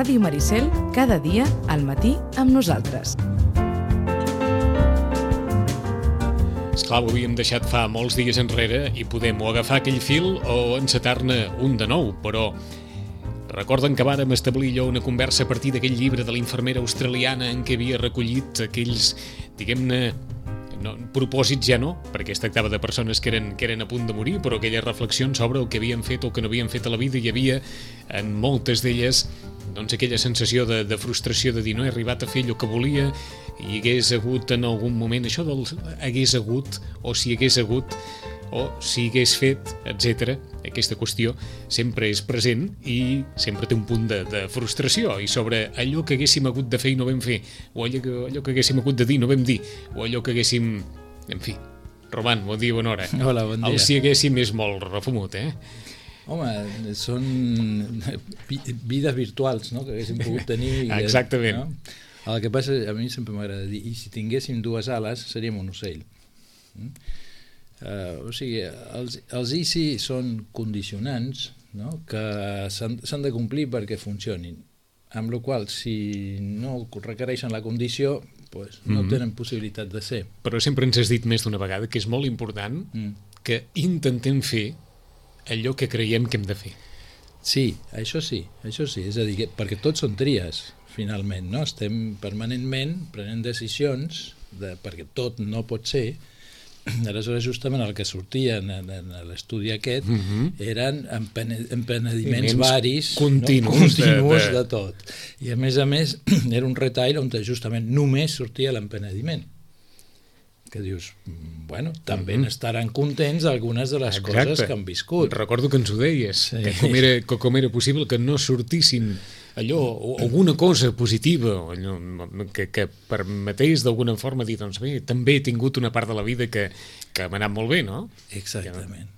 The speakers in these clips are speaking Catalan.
Ràdio Maricel, cada dia al matí amb nosaltres. Esclar, ho havíem deixat fa molts dies enrere i podem o agafar aquell fil o encetar-ne un de nou, però recorden que vàrem establir allò una conversa a partir d'aquell llibre de la infermera australiana en què havia recollit aquells, diguem-ne, propòsits ja no, perquè es tractava de persones que eren a punt de morir, però aquelles reflexions sobre el que havien fet o que no havien fet a la vida, hi havia en moltes d'elles doncs aquella sensació de frustració de dir no he arribat a fer allò que volia i hagués hagut en algun moment, això del hagués hagut o si hagués hagut o si hagués fet, etc. Aquesta qüestió sempre és present i sempre té un punt de frustració i sobre allò que haguéssim hagut de fer i no vam fer, o allò que haguéssim hagut de dir i no vam dir, o allò que haguéssim... En fi, Roman, bon dia, bona hora. Hola, bon dia. El si haguéssim és molt refumut, Home, són vides virtuals, no?, que haguéssim pogut tenir. Exactament. No? El que passa, a mi sempre m'agrada dir, i si tinguéssim dues ales seríem un ocell. O sigui, els ICI són condicionants, no?, que s'han de complir perquè funcionin, amb la qual si no requereixen la condició pues, no tenen possibilitat de ser. Però sempre ens has dit més d'una vegada que és molt important que intentem fer allò que creiem que hem de fer. Sí, això sí, és a dir, perquè tots són tries, finalment, no? Estem permanentment prenent decisions perquè tot no pot ser. Aleshores, justament el que sortia en l'estudi aquest eren empenediments varis, continus de tot. I a més, era un retail on justament només sortia l'empenediment. Que dius, bueno, també n'estaran contents algunes de les coses que han viscut. Recordo que ens ho deies, que com era possible que no sortissin allò, alguna cosa positiva que permetés d'alguna forma dir, doncs bé, també he tingut una part de la vida que m'ha anat molt bé, no? Exactament.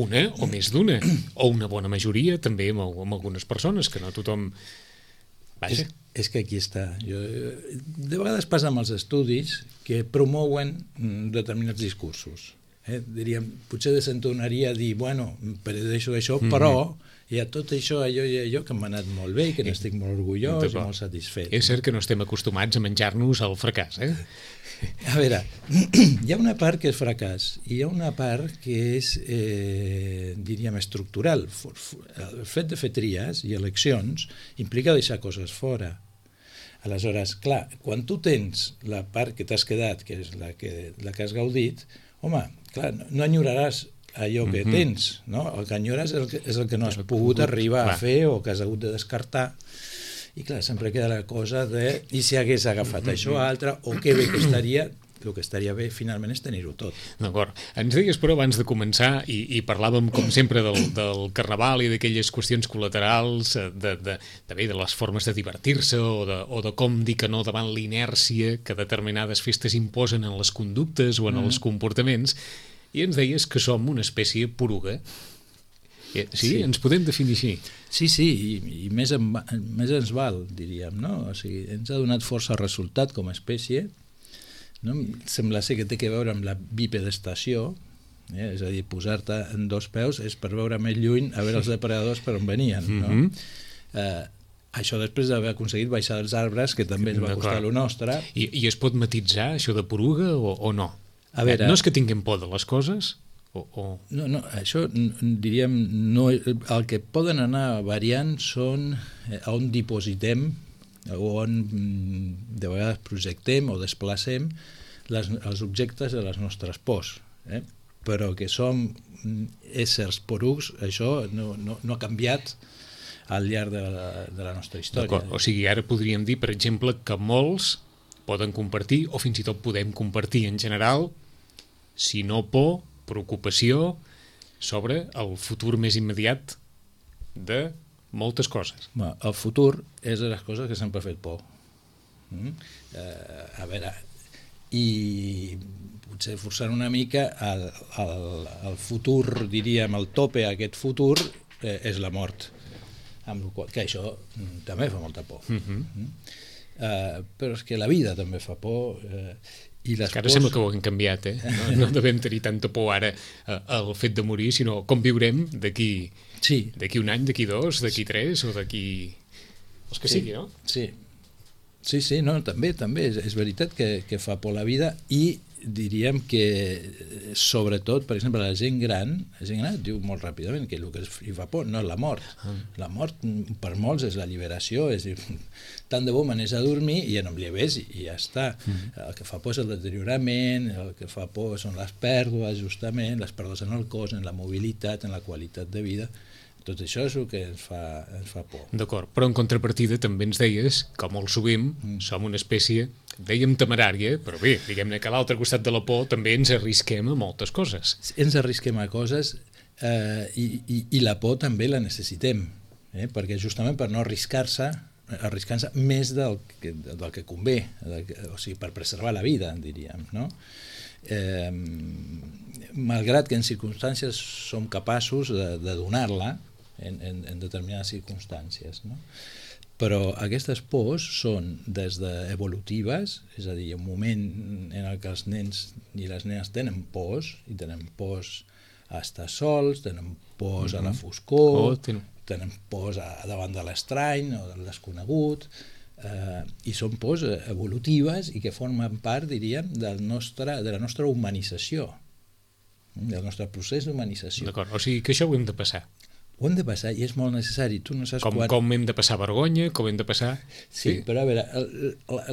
Una o més d'una, o una bona majoria també amb algunes persones, que no tothom... Vaja. És que aquí està. De vegades passa amb els estudis que promouen determinats discursos. Diríem, potser desentonaria dir, bueno, predeixo això, però hi ha tot això, allò que m'ha anat molt bé i que n'estic molt orgullós i molt satisfet. És cert que no estem acostumats a menjar-nos el fracàs, A veure, hi ha una part que és fracàs i hi ha una part que és, diríem, estructural. El fet de fer tries i eleccions implica deixar coses fora. Aleshores, clar, quan tu tens la part que t'has quedat, que és la que has gaudit, home, clar, no enyoraràs allò que tens, no? El que enyores és el que no has pogut arribar a fer o que has hagut de descartar. I clar, sempre queda la cosa de i si hagués agafat això o altre, o que bé que estaria, el que estaria bé finalment és tenir-ho tot. D'acord. Ens deies, però, abans de començar, i parlàvem, com sempre, del carnaval i d'aquelles qüestions col·laterals, de les formes de divertir-se o de com dir que no davant l'inèrcia que determinades festes imposen en les conductes o en els comportaments, i ens deies que som una espècie poruga. Sí? Ens podem definir així? Sí, i més ens val, diríem, no? O sigui, ens ha donat força resultat com a espècie, no? Sembla ser que té a veure amb la bipedestació, és a dir, posar-te en dos peus és per veure més lluny a veure els depredadors per on venien, no? Això després d'haver aconseguit baixar dels arbres, que també ens va costar lo nostre. I es pot matitzar això de poruga o no? A veure, no és que tinguem por de les coses? No, això diríem, el que poden anar variant són on dipositem o on de vegades projectem o desplacem els objectes de les nostres pors, però que som éssers porucs, això no ha canviat al llarg de la nostra història. O sigui, ara podríem dir, per exemple, que molts poden compartir, o fins i tot podem compartir en general, si no por, preocupació sobre el futur més immediat de moltes coses. El futur és de les coses que sempre ha fet por. A veure, i potser forçant una mica el futur, diríem, el tope a aquest futur és la mort, amb la qual que això també fa molta por. Però és que la vida també fa por. Ara sembla que ho hem canviat, no devem tenir tanta por ara al fet de morir, sinó com viurem d'aquí un any, d'aquí dos, d'aquí tres o d'aquí els que sigui, no? Sí, no, també és veritat que fa por la vida, i diríem que sobretot, per exemple, la gent gran diu molt ràpidament que el que li fa por no és la mort. La mort per molts és l'alliberació, és dir, tant de bo m'anés a dormir i ja no em lleves i ja està. El que fa por és el deteriorament, el que fa por són les pèrdues, justament, les pèrdues en el cos, en la mobilitat, en la qualitat de vida. Tot això és el que ens fa por. D'acord, però en contrapartida també ens deies que molt sovint som una espècie, dèiem temerària, però bé, diguem-ne que a l'altre costat de la por també ens arrisquem a moltes coses. Ens arrisquem a coses i la por també la necessitem, perquè justament per no arriscar-se més del que convé, o sigui, per preservar la vida, diríem, no? Malgrat que en circumstàncies som capaços de donar-la en determinades circumstàncies, no? Però aquestes pors són des d'evolutives, és a dir, un moment en què els nens i les nenes tenen pors, i tenen pors a estar sols, tenen pors a la foscor, tenen pors davant de l'estrany o del desconegut, i són pors evolutives i que formen part, diríem, de la nostra humanització, del nostre procés d'humanització. D'acord, o sigui que això ho hem de passar. Ho hem de passar i és molt necessari. Tu no saps com hem de passar vergonya, com hem de passar... Sí, però a veure,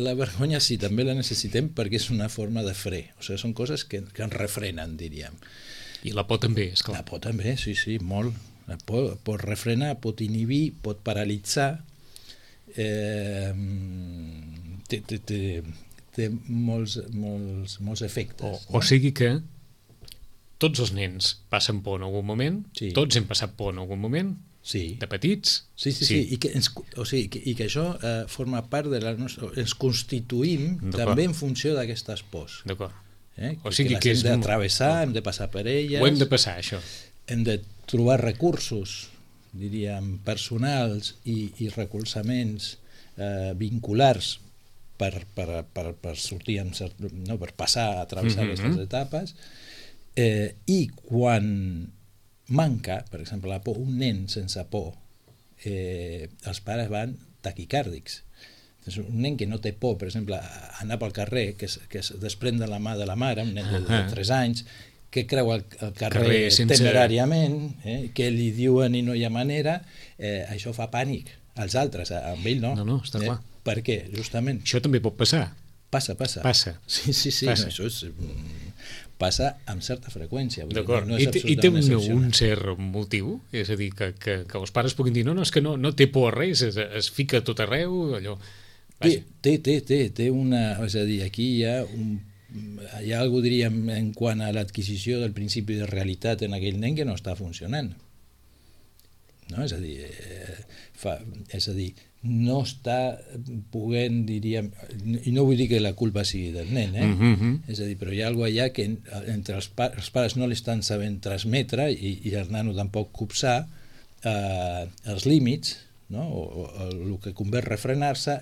la vergonya sí, també la necessitem perquè és una forma de fre. O sigui, són coses que ens refrenen, diríem. I la por també, esclar. La por també, sí, molt. La por pot refrenar, pot inhibir, pot paralitzar. Té molts efectes. O sigui que tots els nens passen por en algun moment, tots hem passat por en algun moment, de petits. Sí. I que això forma part de la nostra... Ens constituïm també en funció d'aquestes pors. D'acord. O sigui que les hem d'atravessar, hem de passar per elles. Ho hem de passar, això. Hem de trobar recursos, diríem, personals i recolzaments vinculars per sortir, per passar a travessar aquestes etapes. I quan manca, per exemple, la por, un nen sense por, els pares van taquicàrdics. Un nen que no té por, per exemple, anar pel carrer, que es desprèn de la mà de la mare, un nen de 3 anys, que creu el carrer temeràriament, que li diuen i no hi ha manera, això fa pànic als altres, amb ell no. No, està clar. Per què? Justament. Això també pot passar. Passa. Sí. Passa. No, això passa amb certa freqüència. D'acord. I té un cert motiu? És a dir, que els pares puguin dir no, és que no té por a res, es fica tot arreu, allò... Té una... És a dir, aquí hi ha alguna cosa, diríem, en quant a l'adquisició del principi de realitat en aquell nen que no està funcionant. No? És a dir, no està podent, diríem, i no vull dir que la culpa sigui del nen, és a dir, però hi ha alguna cosa allà que entre els pares no l'estan sabent transmetre i el nano tampoc copsar els límits, no? o el que convé refrenar-se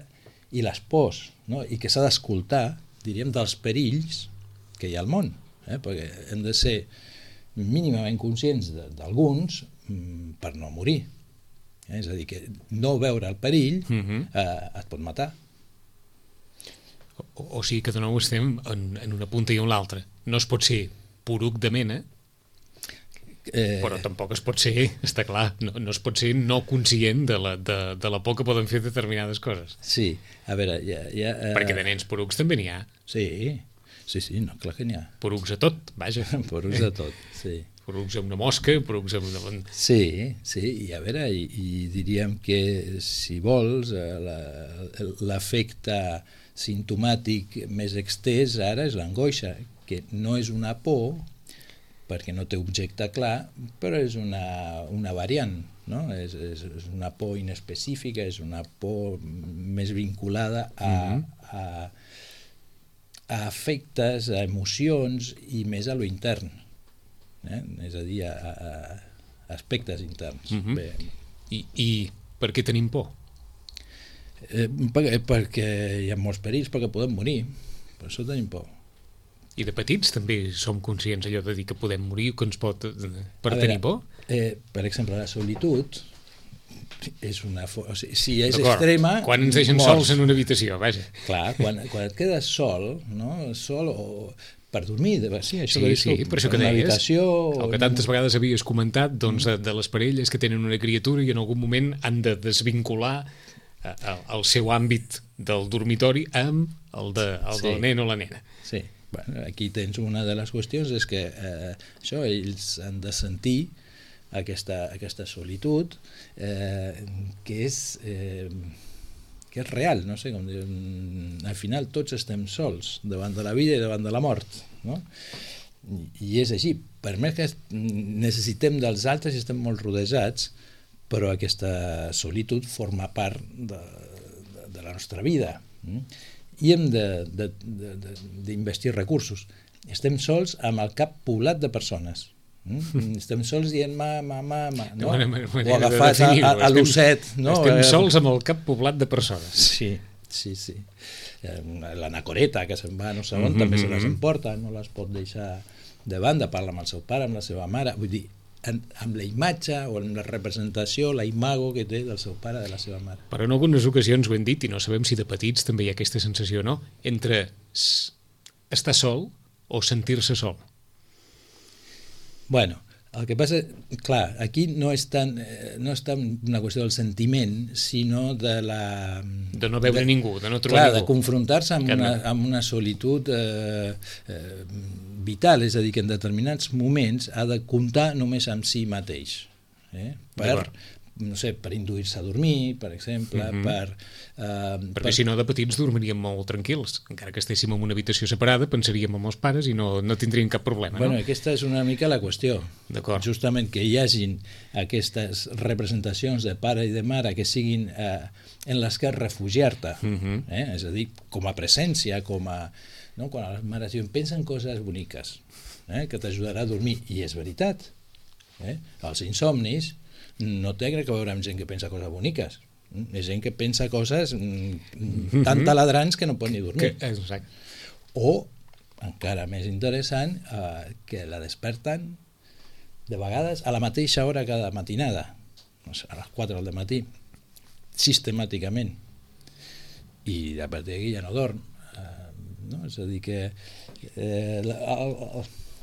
i les pors, no? I que s'ha d'escoltar, diríem, dels perills que hi ha al món, perquè hem de ser mínimament conscients d'alguns per no morir. És a dir, que no veure el perill et pot matar. O sigui que de nou estem en una punta i en l'altra. No es pot ser poruc de mena, però tampoc es pot ser, està clar, no es pot ser no conscient de la por que poden fer determinades coses. Sí, a veure... Perquè de nens porucs també n'hi ha. Sí, no, clar que n'hi ha. Porucs a tot, vaja. Porucs a tot, sí. Porucs amb una mosca, porucs amb una... Sí, i a veure, i diríem que, si vols, l'efecte simptomàtic més extès ara és l'angoixa, que no és una por, perquè no té objecte clar, però és una variant, no? És una por inespecífica, és una por més vinculada a efectes, a emocions i més a lo intern. És a dir, a aspectes interns. I per què tenim por? Perquè hi ha molts perills, perquè podem morir, per això tenim por. I de petits també som conscients allò de dir que podem morir, que ens pot... per tenir por? Per exemple, la solitud és una... O sigui, si és extrema... Quan ens deixen sols en una habitació, vaja. Clar, quan et quedes sol, no? Sol o per dormir, sí, això sí, per això que deies, habitació, el que tantes vegades havies comentat doncs, de les parelles que tenen una criatura i en algun moment han de desvincular el seu àmbit del dormitori amb el del nen o la nena. Sí, bueno, aquí tens una de les qüestions, és que això, ells han de sentir aquesta solitud que és real, no sé com dir, al final tots estem sols davant de la vida i davant de la mort, no? I és així, per més que necessitem dels altres i estem molt rodejats, però aquesta solitud forma part de la nostra vida, i hem d'investir recursos. Estem sols amb el cap poblat de persones, estem sols dient mama, no? O agafats a l'osset, no? Estem sols amb el cap poblat de persones. Sí. L'anacoreta que se'n va no sé on també se les emporta, no les pot deixar de banda, parla amb el seu pare, amb la seva mare, vull dir, amb la imatge o amb la representació, la imago que té del seu pare, de la seva mare. Però en algunes ocasions ho hem dit i no sabem si de petits també hi ha aquesta sensació, no? Entre estar sol o sentir-se sol. Bueno, el que passa, clar, aquí no és tant una qüestió del sentiment, sinó de la... De no veure ningú, de no trobar ningú. De confrontar-se amb una solitud vital, és a dir, que en determinats moments ha de comptar només amb si mateix, per induir-se a dormir, per exemple, perquè si no de petits dormiríem molt tranquils, encara que estéssim en una habitació separada pensaríem en els pares i no tindríem cap problema, no? Bueno, aquesta és una mica la qüestió. Justament que hi hagin aquestes representacions de pare i de mare que siguin en les que refugiar-te, és a dir, com a presència, com a... No? Quan les mares diuen, pensa en coses boniques, que t'ajudarà a dormir, i és veritat. Els insomnis no té que veure amb gent que pensa coses boniques, és gent que pensa coses tan taladrants que no pot ni dormir. Exacte. O, encara més interessant, que la desperten de vegades a la mateixa hora cada matinada, a les 4 del matí, sistemàticament, i a partir d'aquí ja no dorm. No? És a dir que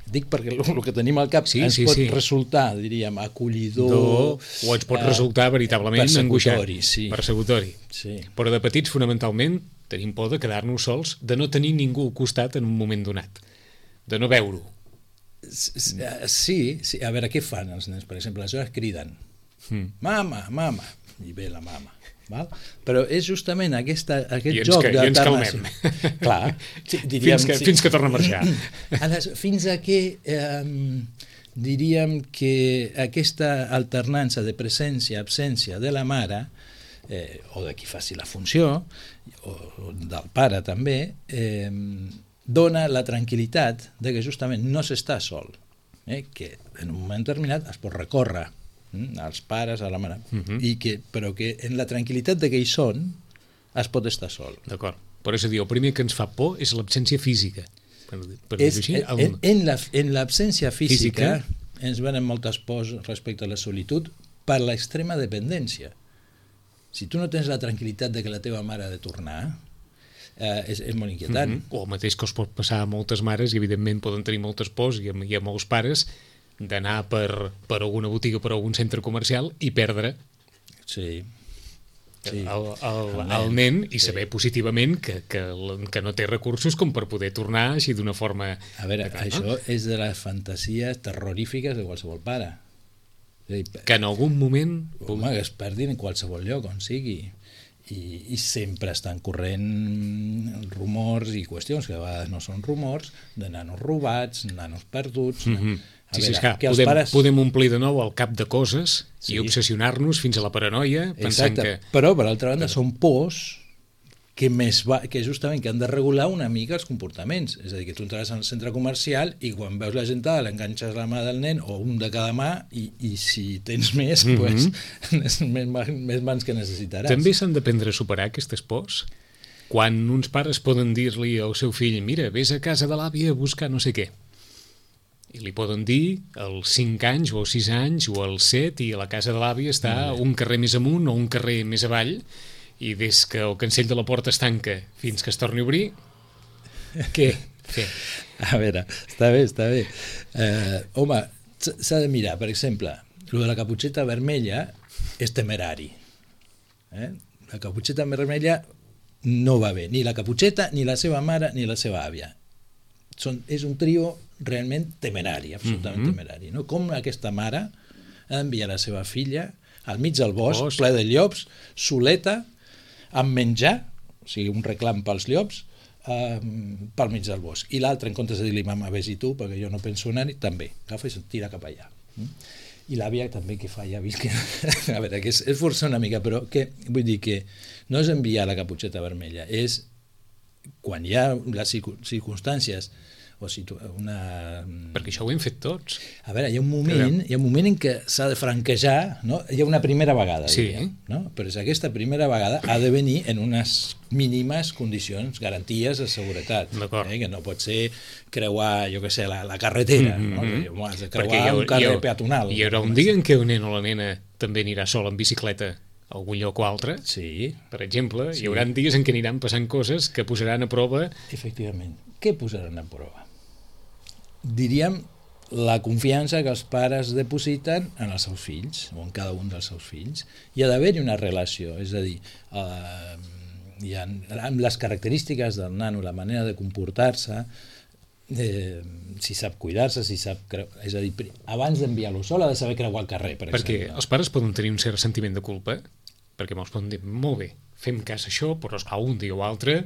dic perquè el que tenim al cap ens pot resultar, diríem, acollidor o ens pot resultar veritablement angoixant, persecutori. Sí. Però de petits fonamentalment tenim por de quedar-nos sols, de no tenir ningú al costat en un moment donat, de no veure-ho. Sí, a veure, què fan els nens? Per exemple, aleshores criden mama, i ve la mama. Val? Però és justament aquest joc d'alternació. Clar, fins que torna a marxar. Fins a que diríem que aquesta alternança de presència-absència de la mare, o de qui faci la funció, o del pare també, dona la tranquil·litat de que justament no s'està sol, que en un moment determinat es pot recórrer als pares, a la mare, però que en la tranquil·litat de que hi són es pot estar sol. D'acord, però és a dir, el primer que ens fa por és l'absència física. En l'absència física ens venen moltes pors respecte a la solitud per l'extrema dependència. Si tu no tens la tranquil·litat de que la teva mare ha de tornar, és molt inquietant. O el mateix que us pot passar a moltes mares, i evidentment poden tenir moltes pors, i a molts pares, d'anar per alguna botiga, per algun centre comercial i perdre el nen i saber positivament que no té recursos com per poder tornar així d'una forma... A veure, això és de les fantasies terrorífiques de qualsevol pare. Que en algun moment... Home, que es perdin en qualsevol lloc, on sigui. I sempre estan corrent rumors i qüestions que a vegades no són rumors, de nanos robats, nanos perduts... Podem omplir de nou el cap de coses i obsessionar-nos fins a la paranoia pensant que... Però, per altra banda, són pors que justament que han de regular una mica els comportaments. És a dir, que tu entraràs al centre comercial i quan veus la gentada l'enganxes la mà del nen o un de cada mà i si tens més, més mans que necessitaràs. També s'han d'aprendre a superar aquestes pors? Quan uns pares poden dir-li al seu fill, mira, vés a casa de l'àvia a buscar no sé què. i li poden dir als 5 anys o als 6 anys o als 7 i a la casa de l'àvia està un carrer més amunt o un carrer més avall i des que el cancell de la porta es tanca fins que es torni a obrir, què fer? A veure, està bé. Home, s'ha de mirar, per exemple, el de la caputxeta vermella és temerari. La caputxeta vermella no va bé, ni la caputxeta, ni la seva mare, ni la seva àvia. És un trio realment temerari, absolutament temerari. No? Com aquesta mare ha d'enviar la seva filla al mig del bosc, ple de llops, soleta, amb menjar, o sigui, un reclam pels llops, pel mig del bosc. I l'altre, en comptes de dir-li, mama, vés-hi tu, perquè jo no penso anar-hi, també, agafa i se'n tira cap allà. I l'àvia també, que fa? Ja vist que... A veure, que és forçar una mica, però vull dir que no és enviar la caputxeta vermella, és quan hi ha les circumstàncies o una... Perquè això ho hem fet tots. A veure, hi ha un moment en què s'ha de franquejar, no? Hi ha una primera vegada, diríem, no? Però aquesta primera vegada ha de venir en unes mínimes condicions, garanties de seguretat. Que no pot ser creuar, jo què sé, la carretera, no? Has de creuar un carrer peatonal. Hi haurà un dia en què un nen o la nena també anirà sol en bicicleta a algun lloc o altre, per exemple, hi haurà dies en què aniran passant coses que posaran a prova... Efectivament. Què posaran a prova? Diríem la confiança que els pares depositen en els seus fills o en cada un dels seus fills. Hi ha d'haver-hi una relació, és a dir, amb les característiques del nano, la manera de comportar-se, si sap cuidar-se, si sap... És a dir, abans d'enviar-lo sol ha de saber creuar el carrer, per exemple. Perquè els pares poden tenir un cert sentiment de culpa, perquè molts poden dir, molt bé, fem cas a això, però esclar, un dia o altre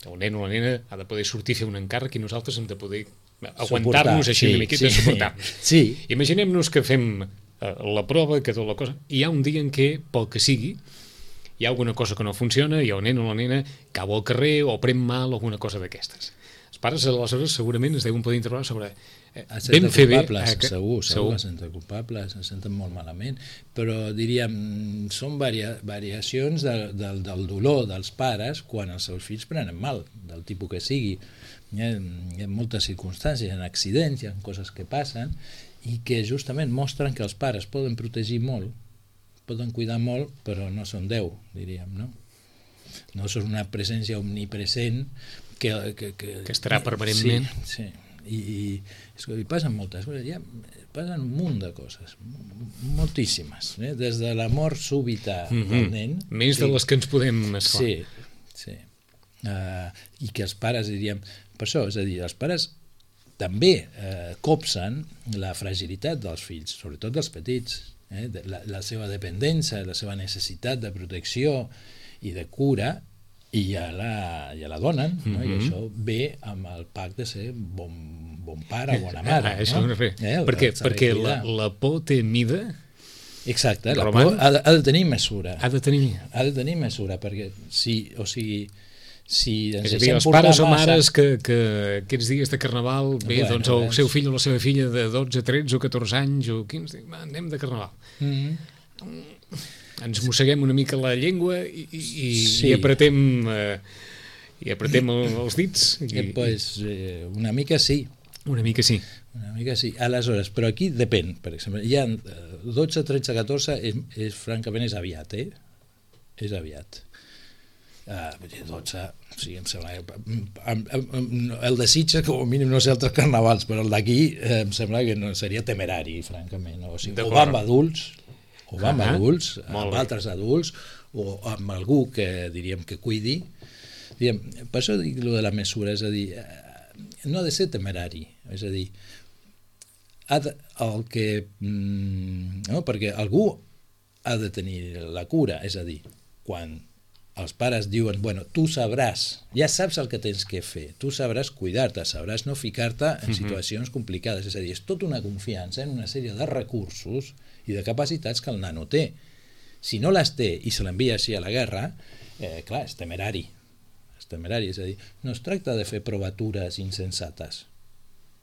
el nen o la nena ha de poder sortir a fer un encàrrec i nosaltres hem de poder aguantar-nos així una miqueta, suportar-nos. Imaginem-nos que fem la prova, que tota la cosa, i hi ha un dia en què, pel que sigui, hi ha alguna cosa que no funciona i el nen o la nena cau al carrer o pren mal o alguna cosa d'aquestes. Els pares, aleshores, segurament es deuen poder interrogar sobre vam fer bé... Segur que es senten culpables, es senten molt malament, però diríem, són variacions del dolor dels pares quan els seus fills prenen mal, del tipus que sigui. Hi ha moltes circumstàncies, hi ha accidents, hi ha coses que passen i que justament mostren que els pares poden protegir molt, poden cuidar molt, però no són Déu, diríem, no? No són una presència omnipresent que estarà permanentment. Sí. I passen moltes coses, passen un munt de coses, moltíssimes, des de la mort súbita del nen. Més de les que ens podem esclar. Sí. I que els pares, diríem, per això, és a dir, els pares també copsen la fragilitat dels fills, sobretot dels petits, la seva dependència, la seva necessitat de protecció i de cura, i ja la donen, no? I això ve amb el pacte de ser bon pare, bona mare. Perquè la por té mida. Exacte, la por ha de tenir mesura. Ha de tenir mesura, perquè si és a dir, els pares o mares que aquests dies de Carnaval, bé, doncs el seu fill o la seva filla de 12, 13 o 14 anys o 15, anem de Carnaval. Ens mosseguem una mica la llengua i apretem els dits. Una mica sí. Una mica sí. Aleshores, però aquí depèn, per exemple, hi ha 12, 13, 14, francament és aviat, És aviat. 12, sí, em sembla el de Sitges com a mínim no sé altres carnavals, però el d'aquí em sembla que no seria temerari, francament, o va amb adults amb altres adults o amb algú que diríem que cuidi. Per això dic allò de la mesura, és a dir, no ha de ser temerari, és a dir, perquè algú ha de tenir la cura, és a dir, quan els pares diuen, bueno, tu sabràs, ja saps el que tens que fer, tu sabràs cuidar-te, sabràs no ficar-te en situacions complicades, és a dir, és tota una confiança en una sèrie de recursos i de capacitats que el nano té. Si no les té i se l'envia així a la guerra, clar, és temerari, és a dir, no es tracta de fer provatures insensates,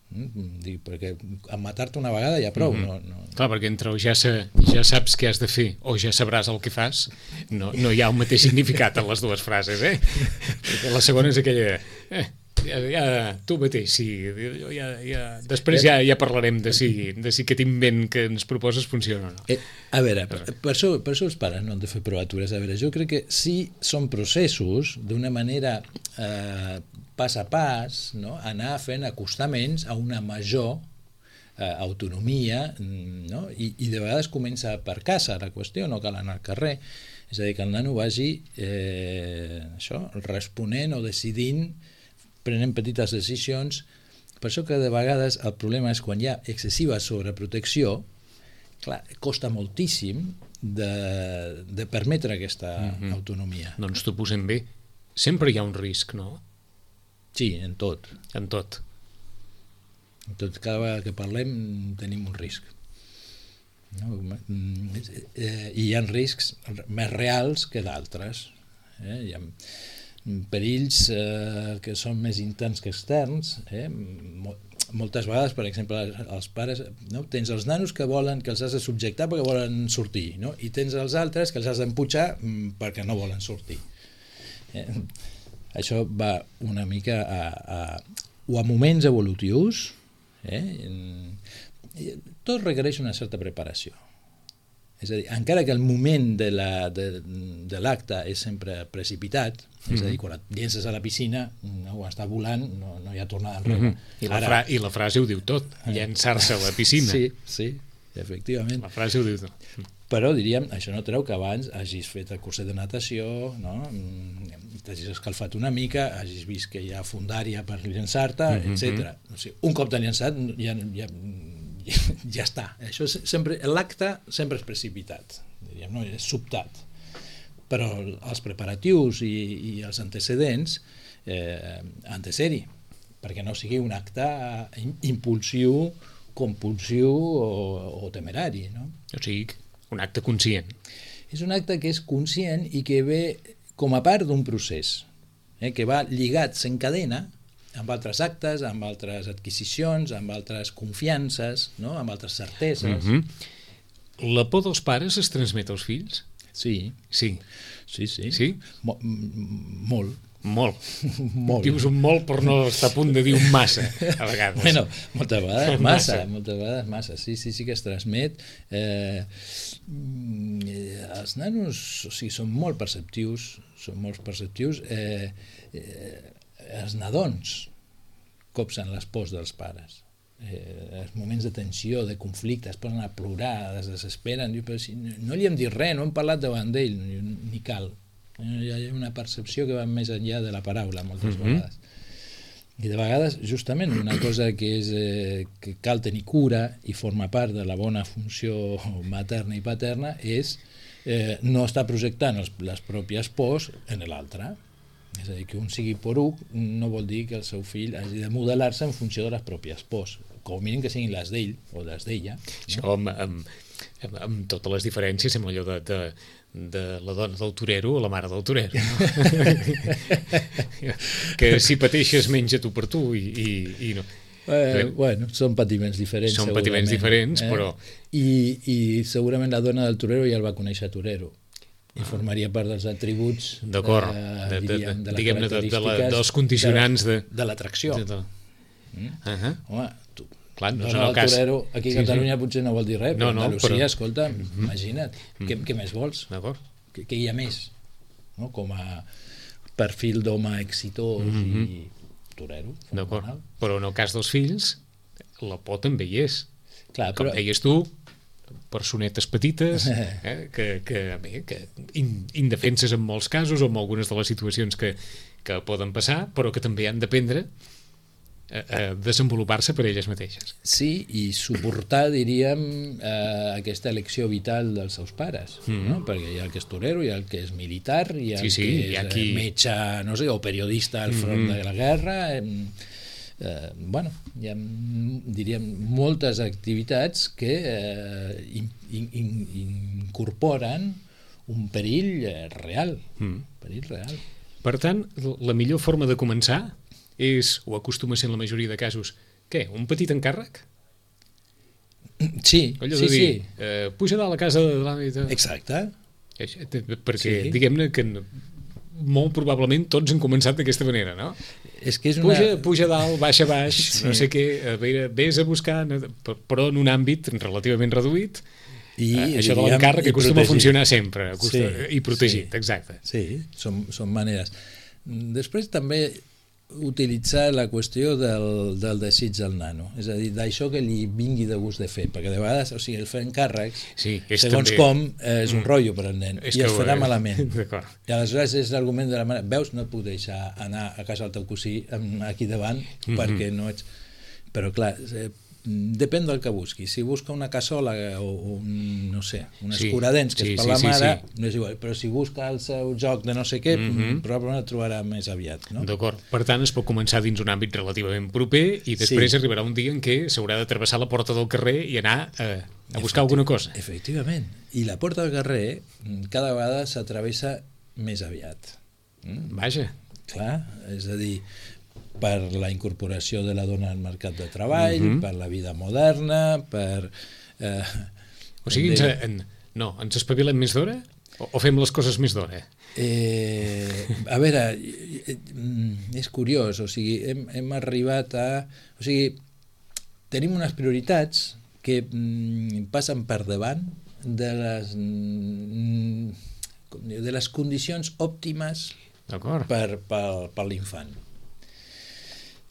perquè amb matar-te una vegada ja prou. Clar, perquè entre ja saps què has de fer o ja sabràs el que fas, no hi ha el mateix significat en les dues frases, perquè la segona és aquella tu mateix, sí. Després ja parlarem de si aquest invent que ens proposes funciona o no. A veure, per això els pares no han de fer provatures. A veure, jo crec que sí són processos d'una manera pas a pas, no? Anar fent acostaments a una major autonomia, no? I de vegades comença per casa la qüestió, no cal anar al carrer. És a dir, que el nano vagi responent o decidint, prenent petites decisions. Per això que de vegades el problema és quan hi ha excessiva sobreprotecció, clar, costa moltíssim de permetre aquesta autonomia. Doncs t'ho posem bé. Sempre hi ha un risc, no? Sí, en tot. En tot. En tot, cada vegada que parlem tenim un risc. No? I hi ha riscs més reals que d'altres. Hi ha perills que són més interns que externs. Moltes vegades, per exemple, els pares, no? Tens els nanos que volen, que els has de subjectar perquè volen sortir, no? I tens els altres que els has d'empujar perquè no volen sortir. Això va una mica a moments evolutius. Tot requereix una certa preparació. És a dir, encara que el moment de l'acte és sempre precipitat, és a dir, quan et llences a la piscina, quan està volant, no hi ha tornada enrere. I la frase ho diu tot, llençar-se a la piscina. Sí, efectivament. La frase ho diu tot. Però diríem, això no treu que abans hagis fet el curset de natació, no? T'hagis escalfat una mica, hagis vist que hi ha fundària per llançar-te, etc. O sigui, un cop t'han llançat ja està. L'acte sempre és precipitat, diríem, no? És sobtat. Però els preparatius i els antecedents han de ser-hi, perquè no sigui un acte impulsiu, compulsiu o temerari, no? O sigui, un acte conscient. És un acte que és conscient i que ve com a part d'un procés, que va lligat, s'encadena amb altres actes, amb altres adquisicions, amb altres confiances, no? Amb altres certeses. La por dels pares es transmet als fills? Sí. Sí? Molt. Molt. Dius un molt per no estar a punt de dir un massa, a vegades. Bueno, moltes vegades massa. Sí que es transmet. Els nanos, o sigui, són molt perceptius, els nadons copsen les pors dels pares. Els moments de tensió, de conflicte, es posen a plorar, es desesperen, però si no li hem dit res, no hem parlat davant d'ell, ni cal. Hi ha una percepció que va més enllà de la paraula moltes vegades. I de vegades, justament, una cosa que cal tenir cura i forma part de la bona funció materna i paterna és no estar projectant les pròpies pors en l'altre. És a dir, que un sigui poruc no vol dir que el seu fill hagi de modelar-se en funció de les pròpies pors, com a mínim que siguin les d'ell o les d'ella. Això amb totes les diferències, sembla allò de la dona del torero a la mare del torero, no? Que si pateixes menja tu per tu i no. Bueno, són patiments diferents. Són patiments diferents, però... I segurament la dona del torero ja el va conèixer torero i formaria part dels atributs, d'acord, diguem-ne, dels condicionants de l'atracció. Home, clar, no dona del torero aquí a Catalunya potser no vol dir res, però Andalusia, escolta, imagina't, què més vols? Què hi ha més? Com a perfil d'home exitós i torero. D'acord, però en el cas dels fills la por també hi és. Com deies tu, personetes petites que indefenses en molts casos o en algunes de les situacions que poden passar, però que també han d'aprendre a desenvolupar-se per elles mateixes. Sí, i suportar, diríem, aquesta elecció vital dels seus pares, no? Perquè hi ha el que és torero, hi ha el que és militar, hi ha el que és metge, no sé, o periodista al front de la guerra. Bueno, hi ha, diríem, moltes activitats que incorporen un perill real. Per tant, la millor forma de començar és, o acostuma a ser en la majoria de casos, què? Un petit encàrrec? Sí, allò de dir, puja a la casa de l'avi. Exacte. Perquè, diguem-ne que molt probablement tots han començat d'aquesta manera, no? És que és una... Puja dalt, baixa baix, sí. No sé què, a veure, vés a buscar, però en un àmbit relativament reduït, això de l'encàrrec que acostuma a funcionar sempre, i protegit, exacte. Sí, són maneres. Després també utilitzar la qüestió del desig del nano, és a dir, d'això que li vingui de gust de fer, perquè de vegades, o sigui, el fer encàrrecs, segons com, és un rotllo per al nen, i es farà malament. I aleshores és l'argument de la mare, veus, no et puc deixar anar a casa del teu cosí aquí davant, perquè no ets... Però clar, depèn del que busqui. Si busca una cassola o no sé, un escuradents que és per la mare, no és igual, però si busca el seu joc de no sé què, probablement el trobarà més aviat, no? D'acord. Per tant, es pot començar dins un àmbit relativament proper i després arribarà un dia en què s'haurà de travessar la porta del carrer i anar a buscar alguna cosa. Efectivament. I la porta del carrer cada vegada s'atravessa més aviat. Vaja. Clar, és a dir, per la incorporació de la dona al mercat de treball, per la vida moderna, per... O sigui, ens espavilem més d'hora o fem les coses més d'hora? A veure, és curiós, o sigui, hem arribat a... O sigui, tenim unes prioritats que passen per davant de les condicions òptimes per l'infant.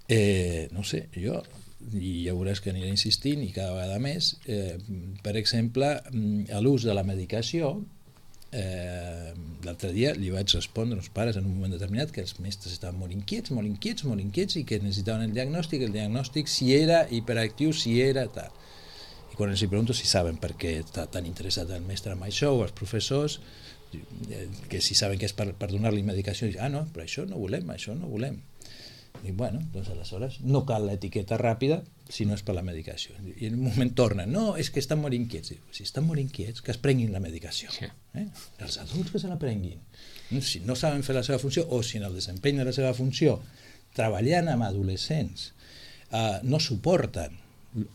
No sé, jo, i ja veuràs que aniré insistint i cada vegada més, per exemple, a l'ús de la medicació, l'altre dia li vaig respondre als pares en un moment determinat que els mestres estaven molt inquiets i que necessitaven el diagnòstic si era hiperactiu, si era tal. I quan els pregunto si saben per què està tan interessat el mestre en això o els professors, que si saben que és per donar-li medicació, no, però això no volem. I bueno, doncs aleshores no cal l'etiqueta ràpida si no és per la medicació. I en un moment tornen, no, és que estan molt inquiets. Si estan molt inquiets, que es prenguin la medicació. Els adults que se la prenguin. Si no saben fer la seva funció o si en el desempenyament de la seva funció treballant amb adolescents no suporten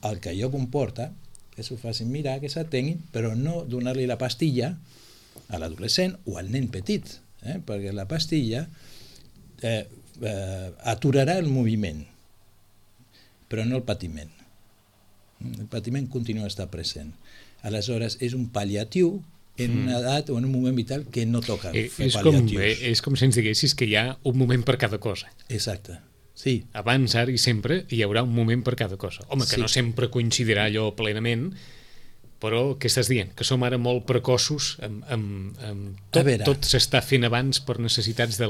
el que allò comporta, que s'ho facin mirar, que s'atenguin, però no donar-li la pastilla a l'adolescent o al nen petit, perquè la pastilla aturarà el moviment, però no el patiment. El patiment continua a estar present. Aleshores, és un pal·liatiu en una edat o en un moment vital que no toca fer pal·liatius. És com si ens diguessis que hi ha un moment per cada cosa. Exacte. Sí. Abans, ara i sempre hi haurà un moment per cada cosa. Home, que no sempre coincidirà allò plenament, però què estàs dient? Que som ara molt precoços, tot s'està fent abans per necessitats de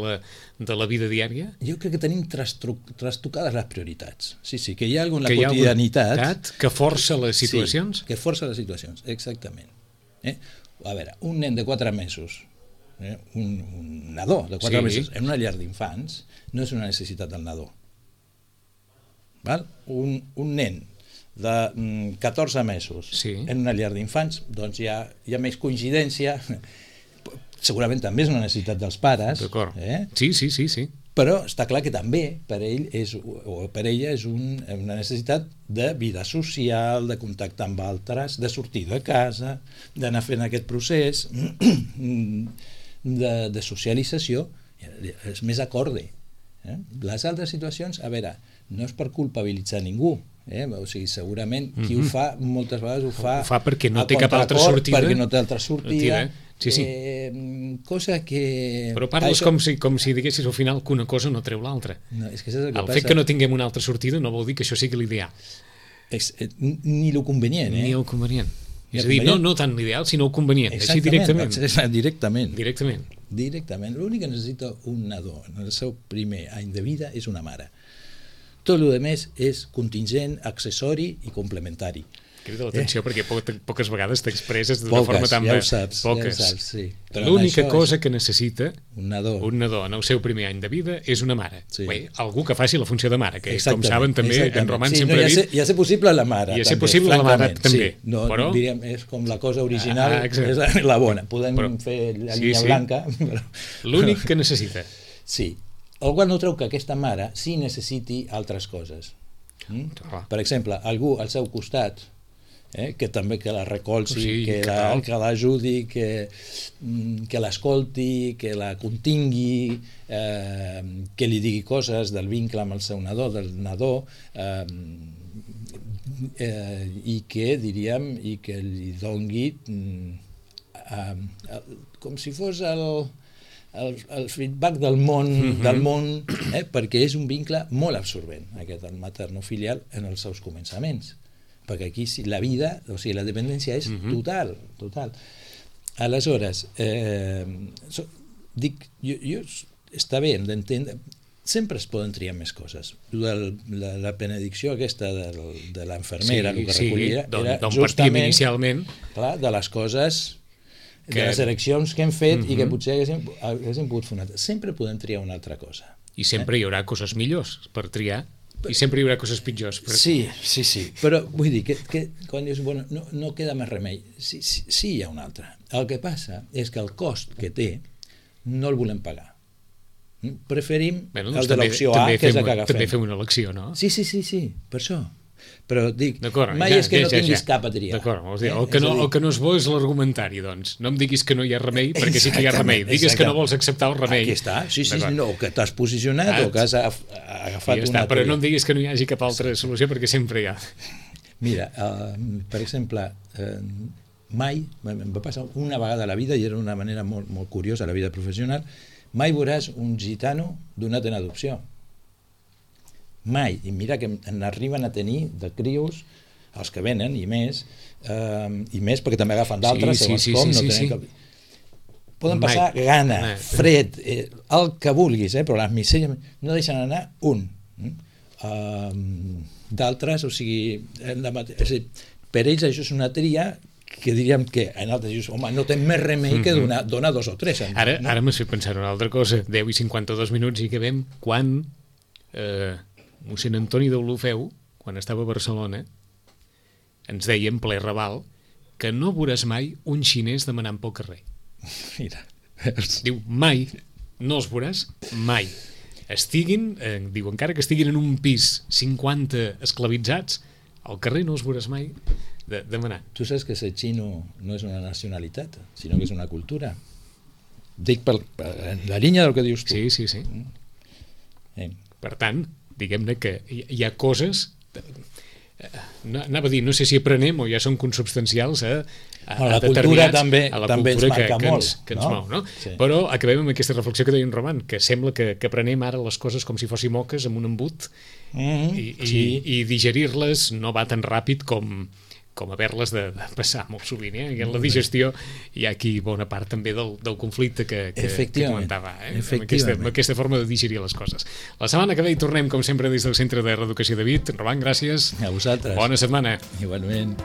la vida diària? Jo crec que tenim trastocades les prioritats. Sí, que hi ha alguna quotidianitat que força les situacions? Sí, que força les situacions, exactament. A veure, un nen de 4 mesos, un nadó de 4 mesos en una llar d'infants no és una necessitat del nadó. Un nen de 14 mesos en una llar d'infants, doncs hi ha més coincidència, segurament també és una necessitat dels pares. D'acord. Sí. Però està clar que també per ell o per ella és una necessitat de vida social, de contactar amb altres, de sortir de casa, d'anar fent aquest procés de socialització, és més acorde. Les altres situacions, a veure, no és per culpabilitzar ningú, o sigui, segurament qui ho fa moltes vegades ho fa perquè no té cap altra sortida, perquè no té altra sortida. Sí. Cosa que... Però parles com si diguessis al final que una cosa no treu l'altra. No, és que és el que el fet que no tinguem una altra sortida no vol dir que això sigui l'ideal. Ni el convenient. Ni el convenient. És a dir, no tant l'ideal, sinó el convenient. Així directament. Directament. L'únic que necessita un nadó en el seu primer any de vida és una mare. Tot el que més és contingent, accessori i complementari. Crida l'atenció perquè poques vegades t'expresses d'una forma tan... Ja ho saps, sí. L'única cosa que necessita un nadó en el seu primer any de vida és una mare. Bé, algú que faci la funció de mare, que com saben també en Roman sempre ha dit... Ja ser possible la mare. Ja ser possible la mare també. Però diríem, és com la cosa original, és la bona. Podem fer la línia blanca. L'únic que necessita. Sí. El qual no treu que aquesta mare sí necessiti altres coses. Per exemple, algú al seu costat que també que la recolzi, Sí, que l'ajudi, que l'escolti, que la contingui, que li digui coses del vincle amb el seu nadó, del nadó, i que, diríem, i que li dongui com si fos el feedback del món, perquè és un vincle molt absorbent, aquest maternofilial, en els seus començaments, perquè aquí la vida, o sigui, la dependència és total. Aleshores, dic, jo està bé, hem d'entendre, sempre es poden triar més coses. La benedicció aquesta de l'infermera, el que recollia, era justament de les coses, de les eleccions que hem fet i que potser haguéssim pogut fer una altra. Sempre podem triar una altra cosa. I sempre hi haurà coses millors per triar, i sempre hi haurà coses pitjors. Sí, però vull dir que quan dius, bueno, no queda més remei, sí hi ha una altra. El que passa és que el cost que té no el volem pagar. Preferim el de l'opció A, que és el que agafem. També fem una elecció, no? Sí, per això. Però dic, mai és que no tinguis cap a triar. D'acord, el que no és bo és l'argumentari, doncs. No em diguis que no hi ha remei, perquè sí que hi ha remei. Digues que no vols acceptar el remei. Aquí està, sí, no, que t'has posicionat o que has agafat una... Però no em diguis que no hi hagi cap altra solució, perquè sempre hi ha. Mira, per exemple, mai, em va passar una vegada a la vida, i era una manera molt curiosa a la vida professional, mai veuràs un gitano donat en adopció. Mai. I mira que n'arriben a tenir de crios els que venen, i més perquè també agafen d'altres, segons com, no tenen cap... Poden passar gana, fred, el que vulguis, però les misèries no deixen anar un. D'altres, o sigui, per ells això és una tria que diríem que en altres dius, home, no té més remei que donar 2 o 3. Ara m'has fet pensar una altra cosa. 10 i 52 minuts i acabem quan mossèn Antoni d'Olofeu, quan estava a Barcelona, ens deia en ple Raval que no veuràs mai un xinès demanant pel carrer. Mira. Diu, mai, no els veuràs mai. Diu, encara que estiguin en un pis 50 esclavitzats, al carrer no els veuràs mai demanant. Tu saps que ser xino no és una nacionalitat, sinó que és una cultura. Dic per la línia del que dius tu. Sí. Per tant, diguem-ne que hi ha coses, anava a dir, no sé si aprenem o ja són consubstancials a la cultura també ens marca molt, que ens mou, no? Sí. Però acabem amb aquesta reflexió que deia en Roman, que sembla que aprenem ara les coses com si fossin moques amb un embut i digerir-les no va tan ràpid com haver-les de passar molt sovint, i en la digestió hi ha aquí bona part també del conflicte que comentava, amb aquesta forma de digerir les coses. La setmana que ve hi tornem, com sempre, des del Centre de Reeducació de Vic. Roman, gràcies. A vosaltres. Bona setmana. Igualment.